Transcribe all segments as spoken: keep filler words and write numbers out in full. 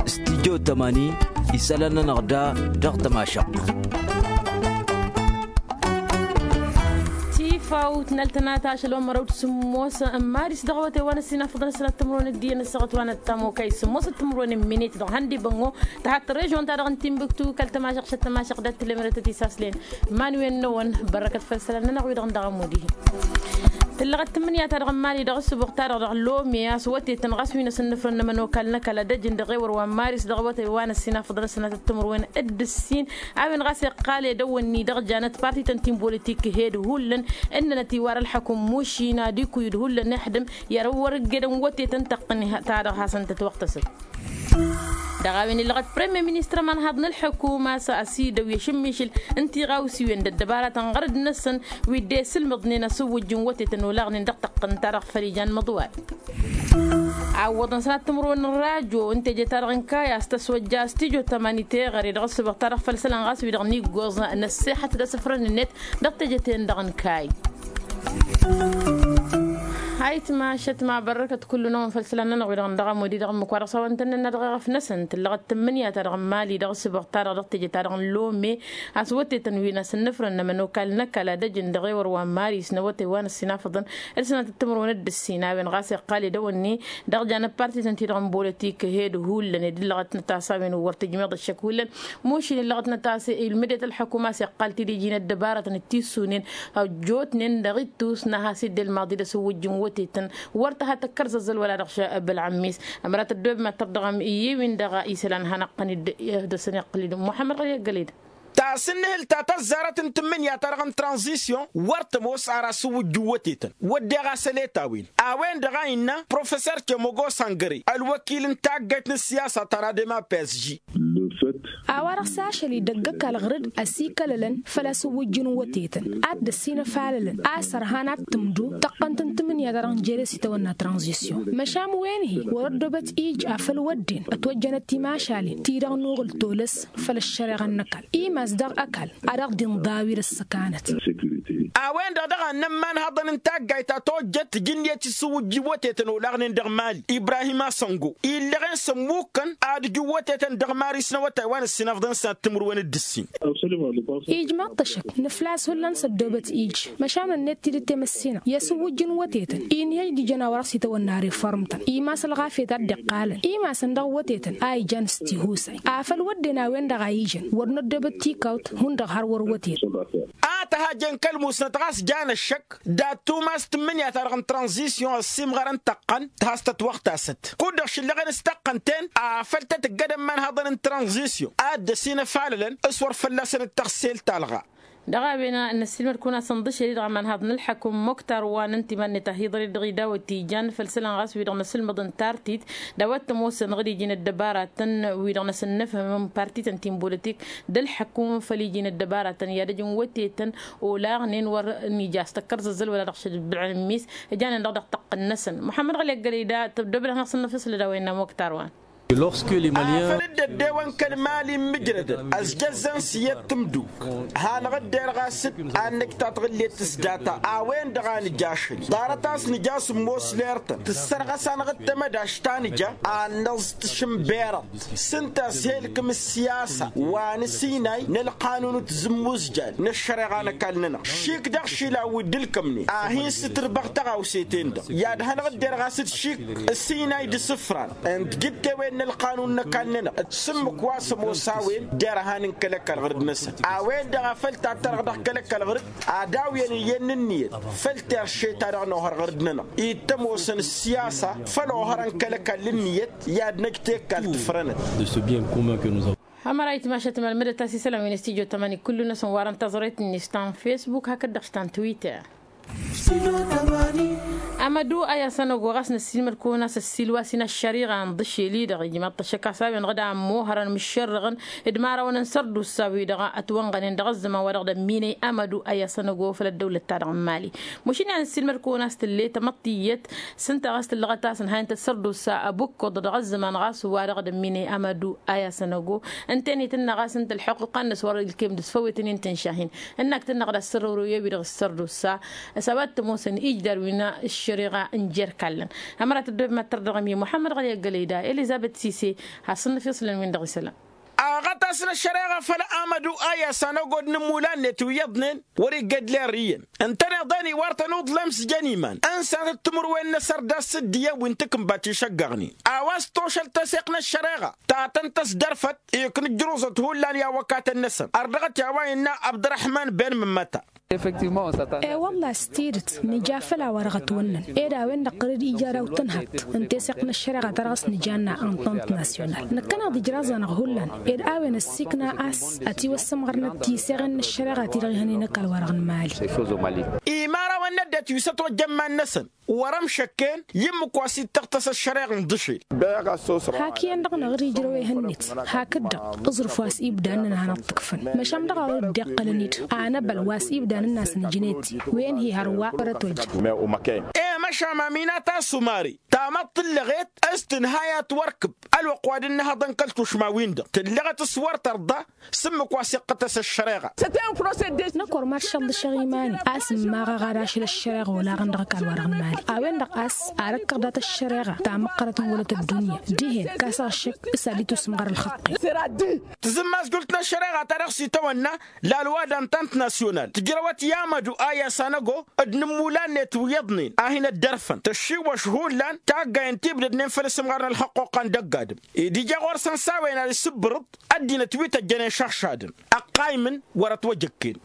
Studyo tămani isălan-nănăɣ da dăɣ-tămašăɣt. Tifawt n-ăltănat ašăl wa n-mărăw d-sǝmmos n-maris dăɣ-awătay wa n-ăssinafăḍăn ăssinat timǝrwen d-iyyăn ăssaɣăt wa n-ăttam okăy sǝmmos d-timǝrwen n-minit dăɣ-hăn d-ibăngo. Tăhat režon-ta-dăɣ n-timbuktu kăl-tămašăɣt šăt tămašăɣt dat-tǝlemrătăt isaslen. Iman-wen-năwăn bărrăkăt făll-isălan-nănăɣ wi-dăɣ n-dăɣ-ămud-ihi. Tǝllăɣăt tǝmmǝnǝya-ta-dăɣ n-mali dăɣ-ăssǝbuɣ-ta-dăɣ dăɣ-lome a-s wătetăn ɣas wi n-asǝnnǝfrăn n-ămănokal n-ăkall ad-ăj n-dăɣ-ewăr wa n-maris dăɣ-awătay wa n-ăssinafăḍăn ăssinat d-timǝrwen d-ǝssin. A-wen ɣas iqqal edăwănni dăɣ-janăt partităn ti n-bolătik hed hullan ǝnnănăt iwar ălḥăkum mušin ad-ikuyǝd hullan ixdǝm i-ad-ăwwăr ǝggedăn wătetăn tăqqǝn-ta-dăɣ hasăn-tătwăɣtăsăt. Dăɣ-a-wen illăɣăt premier ministăr ămanhaḍ n-ălḥăkum a-s ăsidăw i-ašǝmmišǝl n-tiɣawsiwen d-ăddăbaratăn ɣărăd-năsăn wi dd-esǝlmǝḍnen asǝwwǝjj n-wătetăn olaɣnen dăɣ-tăqqǝnt-ta-dăɣ făll-ijan măḍwal. Awwăḍăn sănat timǝrwen n-rajo n-teje-ta-dăɣ n-kayy a-s tăswăjja studyo tămani teɣăre dăɣ-ăssǝbăɣ-ta-dăɣ făll-isălan ɣas wi-dăɣ n-iggoẓ n-ăssexăt d-asǝfrăn-net dăɣ-teje-ten-dăɣ n-kayy. Ayǝtma šătma bărrăkăt kullu-năwăn făll-isălan-nănăɣ wi-dăɣ n-dăɣ-amudi dăɣ-ǝmmǝk wa dăɣ-s a-wa n-tănnănna dăɣ-eɣăf-năsăn tǝllăɣăt tǝmmǝnǝya-ta-dăɣ n-mali dăɣ-ǝssǝbăɣ-ta-dăɣ dăɣ-teje-ta-dăɣ n-lome a-s wătetăn wi n-asǝnnǝfrăn n-ămănokal n-ăkall ad-ăj n-dăɣ-ewăr wa n-maris n-awătay wa n-ăssinafăḍăn d-sănatăt timǝrwen d-ǝssin a-wen ɣas iqqal edăwănne dăɣ-janăt partităn-ti-dăɣ n-bolătik hed hullan ed ǝllăɣăt n-ătas a-wen wăr tǝjmeḍ ăššăk hullan. Mušin ǝllăɣăt n-ătas ilmǝdet ălḥăkum a-s iqqal tidiji n-ăddăbaratăn d-tissunen ăjjootnen dăɣ-ittus n-ad-has dd-ilmaḍ-dd asǝwwǝjj n-wătetăn wăr tăha tăkkărzăzzăl wăla dăɣ-šăb ălɣămmis. Ămărat ăddoobem ad-tărdăɣăm i-wi-dăɣ isălan hanăɣ-tăn-dd-ihdăsăn iqqǝl-dd muḥămmăd ɣăli ăggăled. Tasǝnnǝhǝlt ta tăzzarăt n-tǝmmǝnǝya-ta-dăɣ n-tranzisyon wăr tămoos ar asǝwwǝjj n-wătetăn wădden ɣas ăleta-wen a-wen-dăɣ a innă professer temogo sangăre ălwăkil n-taggayt n-ăssiyasa ta n-adema psg. A-wa-dăɣ s-ašăl-i dăgg-ăkall ɣǝr-dd ăsikălălăn făll-asǝwwǝjj n-wătetăn ad-dd-ăssinăfalălăn a-s ărhan ad-tǝmdu tăqqăn-tăn tǝmmǝnǝya-ta-dăɣ n-jere s-itawănna tranzisyon măšan wen-hi wăr-ăddoobăt ij afăl wădden ătwăjjănăt timašalen ti-dăɣ n-uɣǝl tolăs făll-ăššăreɣa n-ăkall imas daɣ ăkall ad-dăɣ-dd-inḍawi d-ăssăkanăt. A-wen-dăɣ daɣ a ǝnnăn imanhăḍăn n-taggayt ta tojjăt tǝjǝnniyăt isǝwwǝjj n-wătetăn olaɣnen dăɣ-mali ibrahim asăngo illăɣen s-ămmukkăn ad-ǝjǝw wătetăn dăɣ-maris n-awătay wa n-ǝssinăfḍăn s-ad-timǝrwen d-ǝssin. Ijmaḍ-t ăššăk nǝfla a-s hullan s-ăddoobăt ij măšan ănnet tidǝt temăssinăɣ i-asǝwwǝjj n-wătetăn inhăj d-ijăn a-wa dăɣ-s itawănna reform-tăn imas ălɣafyăt a dd-iqqalăn imasăn dăɣ-wătetăn a ijan s-tihusay afăl wădden a-wen-dăɣ a ijăn wăr năddoobăt tikawt hundăɣ har wăr wătetăn. A tăhăjjen kăl-musnăt ɣas jan ăššăk dat-tumas tǝmmǝnǝya-ta-dăɣ n-tranzisyon ăssiimɣărăn tăqqăn tăhas tătwăɣtasăt kud-dăɣ šǝllăɣen s-tăqqăn-ten afăl tăt-ǝggădăn imanhăḍăn n-tranzisyon ad-dd-ăsinăfalălăn s-wăr fălla-săn d-tăɣsel talɣa. Dăɣ-a-wen a n-ăssiilmăd-kăwăn-asăn ḍǝšel-i-dăɣ ămanhăḍ n-ălḥăkum muktar wa n-ǝnta iman-net a hi-iḍăr-dd dăɣ-idawăt ijan făll-isălan ɣas wi-dăɣ n-asǝlmăḍ n-tartit d-a-wa t-ămoosăn ɣǝd iji n-ăddăbaratăn wi-dăɣ n-asǝnnǝfhǝmăn partităn ti n-bolătik d-ălḥăkum făll-iji n-ăddăbaratăn i-ad-ăj n-wătetăn olaɣnen wăr n-ija a-s tăkkăr zăzzăl wăla dăɣ-šăbbil n-ǝmmis ǝjanen-dăɣ dăɣ-tăqqǝn-năsăn muḥămmăd ɣăli ăggălăy da tăbdobăd ad-hanăɣ-săn-năfăslăd a-wa innă muktar wa. Afăl dd-ăddewăn kăl-mali n-imǝjrădăn ăzjăzzăn s-iyyăt tǝmduk hanăɣ-dd-erɣ a-s dd-ad-năj tatɣǝllet s-data a-wen-dăɣ a nǝj ašăl ḍarăt a-s nǝj a-s ǝmmos ler-tăn tǝssărɣăs-anăɣ-dd tamădašt ta nǝja ad-năẓ tǝšǝnberăḍ s-ǝnta a-s helkăm ǝssiyasa wa n-asinay n-ălqanun n-tizǝmmuzjal n-ăššăreɣa n-ăkall-nănăɣ šik dăɣ-išilan wi dd-ǝlkămnen ad-hin-sǝtǝrbăɣ taɣawse-ten-dăɣ i-ad-hanăɣ-dd-erɣ a-s d-šik ǝssinay d-isǝfran n-tijǝttewen n-ălqanun n-ăkall-nănăɣ d-sǝmmǝk wa s-ămoos a-wen derhan n-kăl-ăkall ɣǝr-dd-năsăn a-wen-dăɣ a făl tattărăɣ dăɣ-kăl-ăkall ɣǝr-dd ad-awǝyăn iyyăn n-ǝnniyăt făll-terše-ta-dăɣ n-ohăr ɣǝr-dd-nănăɣ ittăm osăn ǝssiyasa făll-ohărăn kăl-ăkall ǝnniyăt i-ad-năj tekkal tǝfrănăt. Ămăra itmašăt malmădăt a-s isălan wi n-studyo tămani kullu-năsăn warăn taẓret-net ta n-facebook hakd-dăɣ ta n-twitter. Amădu a i-asănăgo ɣas n-ăssiilmăd-kăwăn a-s ăssiil wa s-in-ăššăriɣa n-iḍǝšel-i-dăɣ ijmaḍ-t ăššăk a-s a-wen-dăɣ d-ammăhărăn mǝššărrăɣăn d-imărawăn n-sărdusa-wi-dăɣ ătwănɣănen dăɣ-ăzzăman wa dăɣ-dămminăy amădu a i-asănăgo făll-ăddăwlăt-ta-dăɣ n-mali. Măšin i-ad-nǝssiilmăd kăwăn a-s tǝlle tamăḍt iyyăt s-ǝnta ɣas tǝllăɣăt a-s ǝnhayăn-t ăssărdusa ăbukkuḍ dăɣ-ăzzăman ɣas wa dăɣ-dămminăy amădu a i-asănăgo. Ǝnta-net ǝnna ɣas ǝnta ălḥuqqa-net wăr-ilkem d-ǝsfăwwetăn-in tǝnšahin ǝnnak tǝnnăɣ d-asărăwrăw i-wi-dăɣ ăssărdusa. S-a-wa Tămoosăn ijdar wi n-ăššăreɣa n-jer-kallăn. Ămăra tăddobem ad-tărdăɣăm i-muḥămmăd ɣăli ăggălăy da elizăbet sise. Has-săn n-afiṣlăn-win-dăɣ isălan. Aɣătas n-ăššăreɣa făll-amădu a i-asăn ăgod n-imula-net wi iyyăḍnen wăr-igged ler iyyăn. Ǝntăneḍ-en iwar-tăn uḍlem s-jăn iman ǝnsanăt timǝrwen n-asărdas s-dd-iyyăn wi n-takǝnbat išăggăɣnen. A-wa s-tošăl teseɣt n-ăššăreɣa ta tăn-tăsdărfăt ikna ǝjruẓăt hullan i-awăkatăn-năsăn. Ărdăɣăt i-a-wa innă abd-răḥman ben mǝmmăta. E-wălla-hi s-tidǝt nǝja făll-a-wa dăɣ-ătwănnăn. Ed a-wen-dăɣ tăr-dd ija daw-tǝnhăḍt n-teseɣt n-ăššăreɣa ta dăɣ-s nǝjanna ănṭănt nasyonal năkkăneḍ ijraẓ-anăɣ hullan. Ed a-wen ăssiikna a-s ătiwăssămɣărnăt tiseɣen n-ăššăreɣa-ti-dăɣ ihănen ăkall-wa-dăɣ n-imali. Imărawăn n-ăddinăt wi s-ătwăjja iman-năsăn wăr-ămšăkken i-ǝmmǝk wa s-ittăɣtăs ăššăreɣa n-dăšel. Hak iyyăn-dăɣ năɣ-dd ijrăw ehăn-net. Hakd-dăɣ aẓrǝf wa s-ibda ǝnnăn a hanăɣ-t-ǝkfăn măšan dăɣ-a wăr-dd-iqqălăn-dd anăbăl wa s-ibda n-ǝnnas n-ǝjnet-i. Wen hi-hărwa wăr-ătwăjja. E măšan maminat a-s umari tamăḍt tǝllăɣet s-tǝnhăy ad-t-wăr-kǝb ălwăqq wa dd-nǝhhăḍăn kăl-tušma-win-dăɣ tǝllăɣăt s-wăr tărḍa. S-ǝmmǝk wa s-iqqătăs ăššăreɣa. Năkk wăr mad-šăḍḍǝšăɣ iman-i a-s ǝmmaɣăɣ ad-ašăl ăššăreɣa olaɣăn dăɣ-ăkall-wa-dăɣ n-imali. A-wen-dăɣ a-s ar ăkkăɣ dat-ăššăreɣa ta măqqărăt n-wălăt ăddunya dihen kasăɣ ăššăk s-ad-dd-tusǝmɣăr ălxăqqe. Tǝzǝmmazjult n-ăššăreɣa ta dăɣ-s itawănna lalwa d-antant nasyonal tǝjrăwăt i-amădu a i-asăn ăgo d-inǝmmulan-net wi iyyăḍnen a hin-ăddărfăn tăššiwwăš hullan taggayen ti ǝbdădnen făll-asǝmɣar n-ălxăqqoqqa n-dăgg-adǝm. Ed ija ɣur-săn s-a-wen ad-isǝbbărǝḍ ăddinăt wi tăjjănen šăɣšadăn ăqqaymǝn wăr-ătwăjăkken.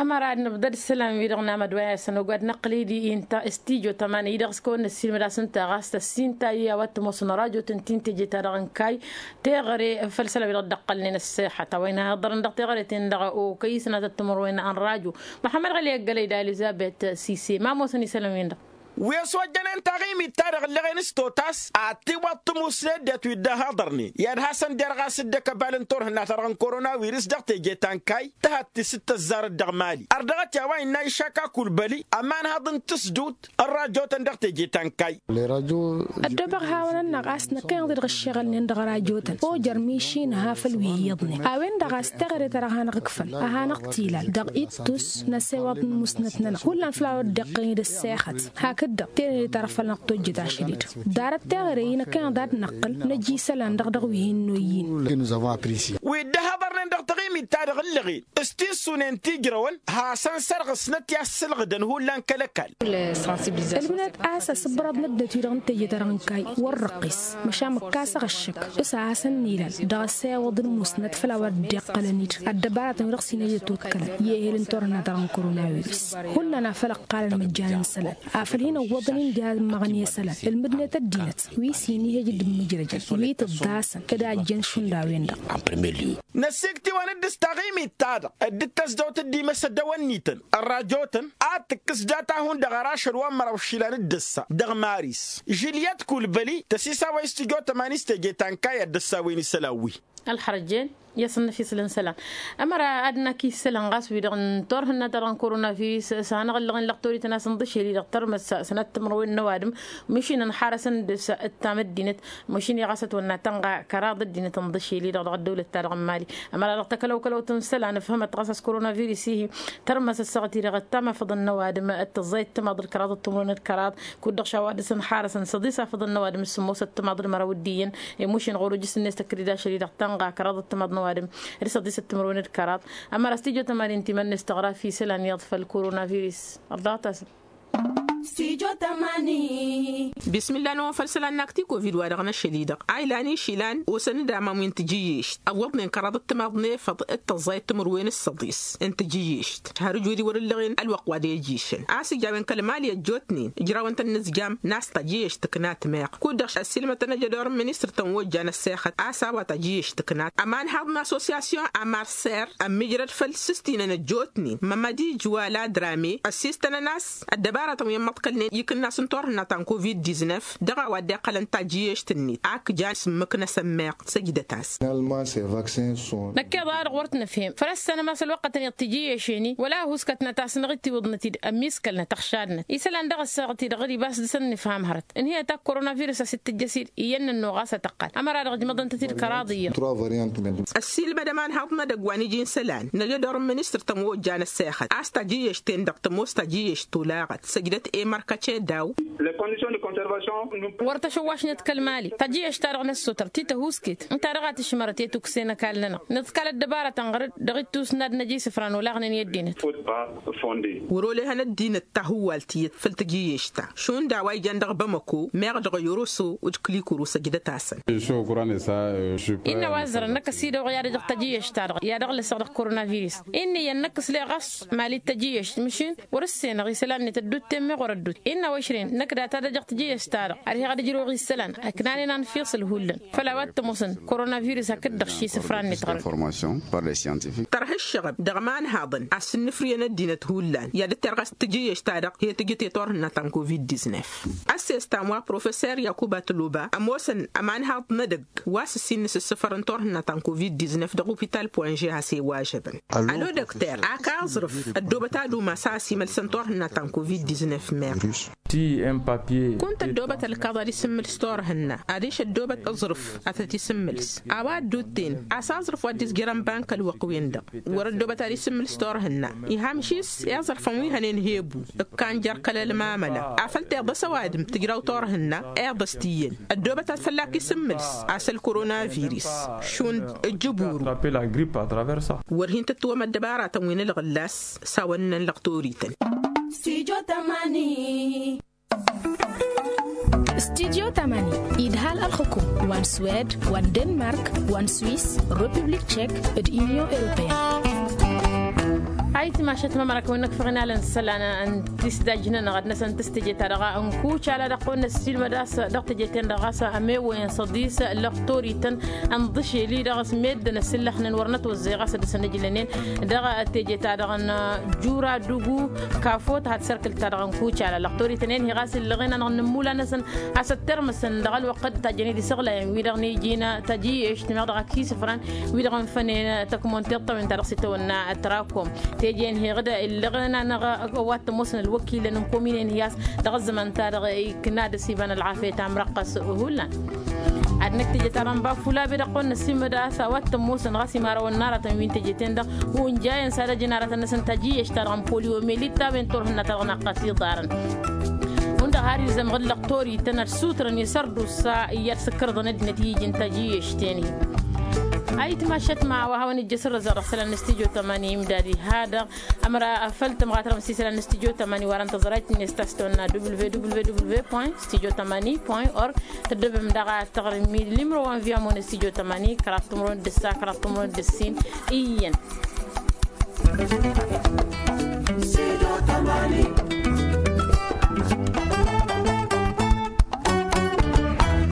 Ămăra ad-nǝbdăd isălan-wi-dăɣ n-amădway a-s ănogad năqqǝl-dd i-inta s-tijo tămani-dăɣ s-kăwăn-năssiilmăd a-s ǝnta ɣas tăssinta i-a-wa t-ămoosăn rajo-tăn ti n-teje-ta-dăɣ n-kayy. Teɣăre făll-isălan-wi-dăɣ dd-ăqqălnen ăṣṣeḥăt a-wa inhăḍărăn dăɣ-teɣăre-ten-dăɣ okăy isănatăt timǝrwen n-rajo. Măḥămmăd ɣăli ăggălăy d-alizăbet sise ma ămoosăn isălan-win-dăɣ. Wi ăswăjjănen taɣimit-ta-dăɣ ǝllăɣen s-totas ad-tiwăḍ tămusnet det wi dd-ăhaḍărnen i-ad-hasăn-derɣas dd-ăkăbal n-turhǝnna-ta-dăɣ n-korona-wiris dăɣ-teje ta n-kayy. Tăhăt ti s-dd-tăzzarăt dăɣ-mali ărdăɣăt i-a-wa innă išaka kulbăli ămanhăḍ n-tǝsdut n-rajo-tăn dăɣ-teje ta n-kayy. Ăddobăɣ hawăn-anăɣ a-s năkkăneḍ-i dăɣ-ǝššeɣălnen dăɣ-rajo-tăn ojer mišin ha făll-wi iyyăḍnen a-wen-dăɣ a-s teɣăre ta dăɣ-hanăɣ-ǝkfăn a hanăɣ-t-ilal dăɣ-ittus n-asewăḍ n-musnăt-nănăɣ hullan făll-a-wa dd-iqqălăn-dd ăssexăt. Hakd-dăɣ tenăde-ta-dăɣ făll-năɣ tojjăt ašăl-i-dăɣ ḍarăt teɣăre-i năkkăneḍ ad-năqqǝl năj isălan-dăɣ dăɣ-wi hin-noyyin. Wi dd-ăhăḍărnen dăɣ-taɣimit-ta-dăɣ ǝllăɣen s-tissunen ti ǝjrăwăn hasăn-sărɣǝsnăt i-ad-sǝlɣǝdăn hullan kăl-ăkall. Ǝlmǝnăt a-s asǝbbărăḍ n-ăddinăt-wi-dăɣ n-teje-ta-dăɣ n-kayy wăr-răqqis măšan mǝkkasăɣ ăššăk s-ad-hasăn-nilal dăɣ-asewăḍ n-musnăt făll-a-wa dd-iqqălăn-dd ăddăbaratăn wi dăɣ-s hin-ăjăt ukkălăn i-ehel n-turhǝnna-ta-dăɣ n-korona-wiris. Hullan a făl ǝqqalăn măjjan n-isălan afăl hin-ăwwăḍăn-in d-immăɣăn i-isălan ǝlmǝdnet ăddinăt wi s-hin-ihăj d-immǝjrăjăn wi tǝḍḍasăn d-a ǝjjăn šund a-wen-dăɣ. Năsikt'-iwăn-dd s-taɣimit-ta-dăɣ dd-tăzdăwt dd-imăsăddăwăn-nităn ărrajotăn ad-tǝkkǝs data-hun dăɣ-ara ašăl wa n-măraw išilan d-ǝssa dăɣ-maris žiliyăt kulbăli tăsisawăy s-tǝjo tămani s-teje ta n-kayy ad-dd-ăssawen isălan-wi. Ălxărăjjen i-asăn n-efisǝl n-isălan. Ămăra ad-năkk isălan ɣas wi-dăɣ n-turhǝnna-ta-dăɣ n-korona virus s-ad-hanăɣ-ǝllăɣen lăqtorităn a-s n-dăšel-i-dăɣ tărmăs sănat timǝrwen n-ăwadǝm. Măšin ănxarăsăn dăɣ-s ǝttam ăddinăt măšin i-ɣas ătwănna tănɣa kăraḍ ăddinăt n-dăšel-i-dăɣ dăɣ-ăddăwlăt-ta-dăɣ n-mali. Ămăra dăɣ-takălăwkălăwt n-isălan ǝfhămăt ɣas a-s korona virus-i-hi tărmăs ăssaɣăt-i-dăɣ ăttam afăḍăn n-ăwadǝm d-tăẓẓayăt timaḍ d-kăraḍ d-timǝrwen d-kăraḍ. Kud-dăɣ šawa dăɣ-s ănxarăsăn săḍis afăḍăn n-ăwadǝm s-sǝmmosăt timaḍ d-măraw d-iyyăn. Imušin ɣur-ujǝs-net ăkkăd-dd ašăl-i-dăɣ tănɣa kăraḍ d-timaḍ n-ăwadǝm d-săḍisăt timǝrwen d-kăraḍ. Ămăra s-tijo tămani n-timan-net tăɣra fi isălan iyyăḍ făll-korona virus. Ărḍaɣăt-as. Bismilla n-ăwwăn făll-isălan n-ak ti-kovid wa dăɣ-năšăl-i-dăɣ a ilan išilan osăn-dd aman wi n-tijǝyyešt ăwwăḍnen kăraḍ d-timaḍ n-efăḍ d-tăẓẓayăt timǝrwen s-săḍis n-tijǝyyešt. Har ǝjud-i wăr-ǝllăɣen ălwăqq wa d-ejjišăn a-s ija a-wen kăl-mali ăjjootnen ǝjrawăn-tăn inǝzjam n-a-s tajǝyyešt tǝkna timeɣ. Kud-dăɣ ăssiilmătăn ejădor n-ministăr-tăn wa ojjan ăssexăt a-s a-wa tajǝyyešt tǝkna ămanhaḍ n-assosyasyon amarser ămmijrăd făll-sǝstinăn ăjjootnen mămădi jwala drame ăssiistănăn a-s ăddăbaratăn wi ămmăḍ Kăl-net ikǝnna s-n-turhǝnna ta n-covid-diznef dăɣ-a-wa dd-iqqălăn tajǝyyešt-net ak jan s-ǝmmǝk-năsăn meɣ săjdăt-as. Năkkeḍ-a-dăɣ wăr t-nǝfhem făl ăssanăm a-s ălwăqqătăn i-dd-tijǝyyešen-i wăla ăhuuskătnăt a-s năɣ-dd-tiwǝḍnăt-dd ămmiiskălnăt ăɣšadnăt isălan dăɣ-ăssaɣăt-i-dăɣ dd-ibas dăr-săn nǝfham hărăt ǝnhǝyăt ak koronavirus a-s dd-tǝjjăs-dd iyyăn n-ănnuɣ ɣas ad-tăqqăl ămăra-dăɣ ǝjmăḍăn-tăt-dd kăraḍ iyyăḍ. Ăssiilmădăm anhaḍ n-edăgg wa n-iji n-isălan năj'-e dăɣ-ministăr tămojja n-ăssexăt a-s tajǝyyešt-ten-dăɣ tămoos tajǝyyešt tolaɣăt săjdăt i-mărkăce daw. Wăr tăšăwwašnăt kăl-mali tajǝyyešt-ta-dăɣ năssutăr ti tăhusket ǝnta-dăɣ a tǝšmărăt i-tukse n-ăkall-nănăɣ nǝḍkal ăddăbarătăn ɣăr-dd dăɣ-ittus n-ad-năj isǝfran olaɣnen i-ăddinăt. Wăr-olehăn ăddinăt tahǝwwalt iyyăt făll-tajǝyyešt-ta šund a-wa ijan dăɣ-bamăko meɣ dăɣ-yoroso d-kǝlikuru săjdăt-asăn. Innă wa ăzzărăn năkk ăsidăwăɣ i-ad-ăjăɣ tajǝyyešt-ta-dăɣ i-ad-ăɣlăsăɣ dăɣ-koronavirus. Innă iyyăn năkk s-leɣ ɣas mali d-tajǝyyešt măšin wăr-ǝssenăɣ isălan-net ădduutten meɣ wăr-ădduut innă wăšren năkk data d-ăjăɣ tajǝyyešt-ta-dăɣ ad-heɣ ad-ǝjrăwăɣ isălan ăknanen anfiṣǝl hullan făll-a-wa t-ămoosăn koronavirus hakd-dăɣ šisǝfran-net ɣărăt. Tărha ǝššăɣăb dăɣ-imanhaḍăn a-s ǝnnǝfrǝyăn ăddinăt hullan i-ad-dd-terɣas tajǝyyešt-ta-dăɣ he-tǝjǝt i-turhǝnna ta n-covid-diznef. Ăssesta n-wa professor yakuba tăloba ămoosăn ămanhaḍ n-edăgg wa s-ǝssin n-asǝssǝfăr n-turhǝnna ta n-covid-diznef dăɣ-opital poinže has-e-wajăbăn. Ălodăkter ak aẓrǝf ăddoobăt ad-umas a ăsimălsăn turhǝnna ta n-covid-diznef meɣ. Kunt ăddoobăt ălkaḍ ad-isǝmmǝls turhǝnna adiš ăddoobăt aẓrǝf ad-tăt-isǝmmǝls a-wa ădduutten a-s aẓrǝf wa dd-izjărăn bank ălwăqq-win-dăɣ. Wăr-ăddoobăt ad-isǝmmǝls turhǝnna iha măšis i-aẓrǝfăn wi hănen hebu ǝkkan jer-kăl-ălmamăla afăl tiḍăs ăwadǝm tǝjraw turhǝnna iḍăs tiyyăn. Ăddoobăt ad-fălla-k isǝmmǝls a-s ălkoronavirus šund ǝjjǝburu. Wăr hin-tǝttǝwăm ăddăbaratăn wi n-ălɣǝllas s-a-wăn ǝnnăn lăqtorităn. Studio tamani idhal ălxǝkum wa n-swed wa n-denmark wa n-swis, republik tchek, d-union europeyăn. Ayǝtmašăt mamărak wi n-ăkfăɣ inalăn isălan n-tisdaj-nănăɣ ad-năsăn tǝstǝje-ta-dăɣ n-kucala dăɣ-kăwăn-năssiilmăd a-s dăɣ-tǝje-ten-dăɣ ɣas ămewăyăn s-ăḍis lăqtorităn n-iḍǝšel-i-dăɣ s-meddǝn ăsillăxnen wăr nătwăzzăy ɣas ad-dăr-săn ǝjlănen. Dăɣ-teje-ta-dăɣ n-jura dugu kafot had sărkǝl-ta-dăɣ n-kucala lăqtorităn-en hi ɣas illăɣen-anăɣ n-imula-năsăn a-s ăttermăsăn dăɣ-ălwăqq d-tajjăn-dd isăɣlayăn wi-dăɣ n-iji n-tajǝyyešt meɣ dăɣ-ak isǝfran wi-dăɣ n-fănen tăkmon tiṭṭawen-ta-dăɣ s-itawănna tărakom. Teje-en heɣ-dd illăɣen-anăɣ ăwat tămoosăn ălwăkilăn n-kominen hi-as dăɣ-ăzzăman-ta-dăɣ ikna dăr-s iba n-ălɣafyăt amrăqqăs. Hullan ad-năkk teje-ta-dăɣ n-bafulabe dăɣ-kăwăn-năssiimăd a-s a-wa t-ămoosăn ɣas imarawăn n-aratăn wi n-teje-ten-dăɣ unjayăn s-ad-ăjǝn aratăn-năsăn tajǝyyešt-ta-dăɣ n-polyo meli ǝttawen turhǝnna-ta-dăɣ naqqăs iḍarăn. Hundăɣ har ilzăm ɣǝllăɣ torităn ad-sutrăn i-sărdusa iyyăr s-ǝkkărḍăn ăddinăt i-iji n-tajǝyyešt-ten-hi. Ayǝtmašăt ma a-wa hawăn-ijjăš ărrăzăɣ dăɣ-isălan n-studyo tamani imdad iha-dăɣ. Ămăra făl tămɣatărăm s-isălan n-studyo tamani warăn tăẓrayt-net ta s-tăwănna www point studyo tamani point org. Tăddobem daɣ ad-tăɣrǝm limro wa n-viya mone studyo tamani kăraḍ timro n-dăssa kăraḍ timro n-dăssin. Iyyăn.